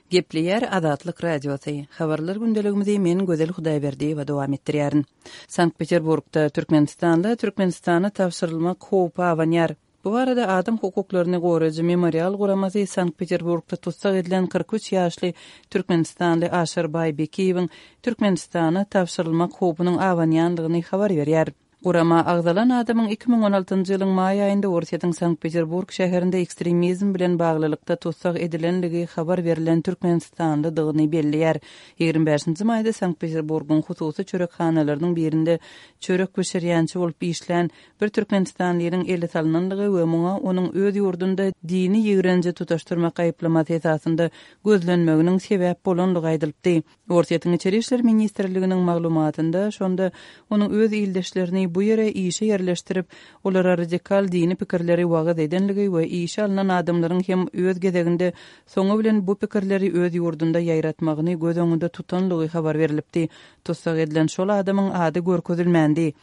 Gepleýär Azatlyk Radiosy. Habarlar gündeligimizi men Gözel Hudaýberdiýewa dowam etdirýärin. Sankt-Peterburgda Türkmenistanda Türkmenistana tabşyrylmak howpy abanýar. Bu barada adam hukuklaryny goraýjy Memorial guramasy Sankt-Peterburgda tussag edilen 43 ýaşly türkmenistanly Aşyrbaý Bekiýewiň Türkmenistana tabşyrylmak howpunyň abanýandygyny habar berýär. Gurama agzalan adamyň 2016-njy ýylyň maý aýynda Orsýetiň Sankt-Peterburg şäherinde ekstremizm bilen baglylykda tussag edilendigi habar berlen türkmenistanlydygyny belleýär. 25-nji maýda Sankt-Peterburgyň hususy çörekhanalarynyň birinde çörek bişirýänçi bolup işlän bir türkmenistanlynyň ele salnandygy we muňa onuň öz ýurdunda dini ýigrenji tutaşdyrmak aýyplamasy esasynda gözlenmeginiň sebäp bolandygy aýdylypdy. Orsýetiň Içeri işler ministrliginiň maglumatynda şonda onuň öz ildeşlerini bu ýere işe ýerleşdirip, olara radikal dini pikirleri wagyz edenligi we işe alnan adamlaryň hem öz gezeginde soňy bilen bu pikirleri öz ýurdunda ýaýratmagyny göz öňünde tutanlygy habar berlipdi. Tussag edilen şol adamyň ady görkezilmändi.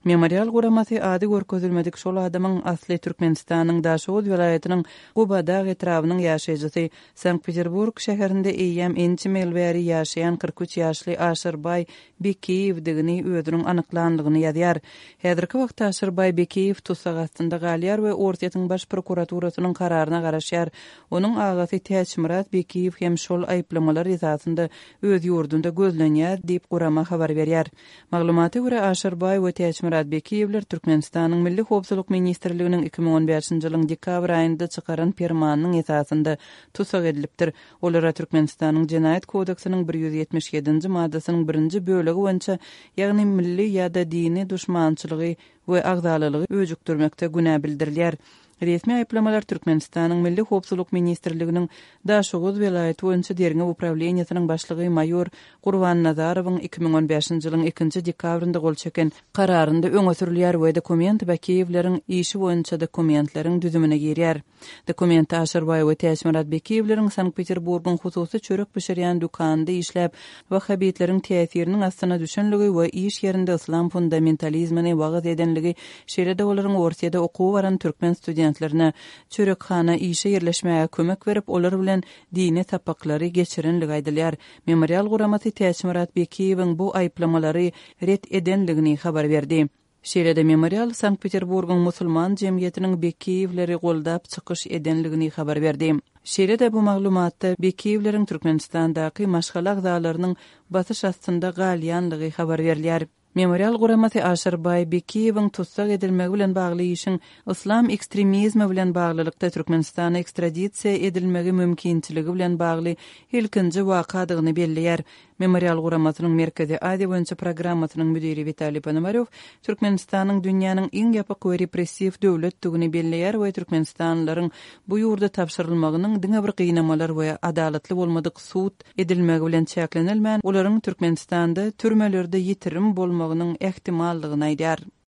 Memorial guramasy ady görkezilmedik şol adamyň asly Türkmenistanyň Daşoguz welaýatynyň Gubadag etrabynyň ýaşaýjysy, Sankt-Peterburg şäherinde eýýäm ençeme ýyl bäri ýaşaýan 43 ýaşly Aşyrbaý Bekiýewdigini özüniň anyklandygyny ýazýar. Häzirki wagtda Aşyrbaý Bekiýew tussag astynda galýar we Orsýetiň Baş prokuraturasynyň kararyna garaşýar. Onuň agasy Täçmyrat Bekiýew hem şol aýyplamalar esasynda öz ýurdunda gözlenýär diýip, gurama habar berýär. Maglumata görä, Aşyrbaý we Täçmyrat Bekiýewler Türkmenistanyň Milli howpsuzlyk ministrliginiň 2015-nji ýylyň dekabr aýynda çykaran permanynyň esasynda tussag edilipdir. Olara Türkmenistanyň Jenaýat kodeksiniň 177-nji maddasynyň birinji bölegi boýunça, ýagny milli ýa-da dini duşmançylygy we agzalalygy öjükdirmekde günä bildirilýär. Resmi aýyplamalar Türkmenistanyň Milli howpsuzlyk ministrliginiň Daşoguz welaýaty boýunça derňew uprawleniýesiniň başlygy maýor Gurban Nazarowyň 2015-nji ýylyň ikinji dekabrynda gol çeken Kararynda öňe sürülýär we dokument Bakiýewleriň işi boýunça dokumentleriň düzümine girýär. Dokumentde Aşyrbaý we Täçmyrat Bekiýewleriň Sankt-Peterburgyň hususy çörek bişirýän dükanynda işläp, wahhabitleriň täsiriniň astyna düşenligi we iş ýerinde yslam fundamentalizmini wagyz edenligi, şeýle-de olaryň Orsýede okuwa baran türkmen studentlerine çörekhana işe ýerleşmäge kömek berip, olar bilen dini sapaklary geçirenligi aýdylýar. Memorial guramasy Täçmyrat Bekiýewiň bu aýyplamalary ret edenligini habar berdi. Şeýle-de Memorial Sankt-Peterburgyň musulman jemgyýetiniň Bekiýewleri goldap çykyş edenligini habar berdi. Şeýle-de bu maglumatda Bekiýewleriň Türkmenistandaky maşgala agzalarynyň basyş astynda galýanlygy habar berilýär. Memorial guramasy Aşyrbaý Bekiýewiň tussag edilmegi bilen bagly işiň yslam ekstremizmi bilen baglylykda Türkmenistana ekstradisiýa edilmegi mümkinçiligi bilen bagly ilkinji wakadygyny belleýär. Memorial guramasynyň Merkezi Aziýa boýunça programmasynyň müdiri Witaliý Ponomarýow Türkmenistanyň dünýäniň iň ýapyk we repressiw döwletdigini belleýär we türkmenistanlylaryň bu ýurda tabşyrylmagynyň diňe bir gynamalar we adalatly bolmadyk sud edilmegi bilen çäklenilmän, olaryň Türkmenistanda türmelerde ýitirim bolmagynyň ähtimaldygyny aýdýar.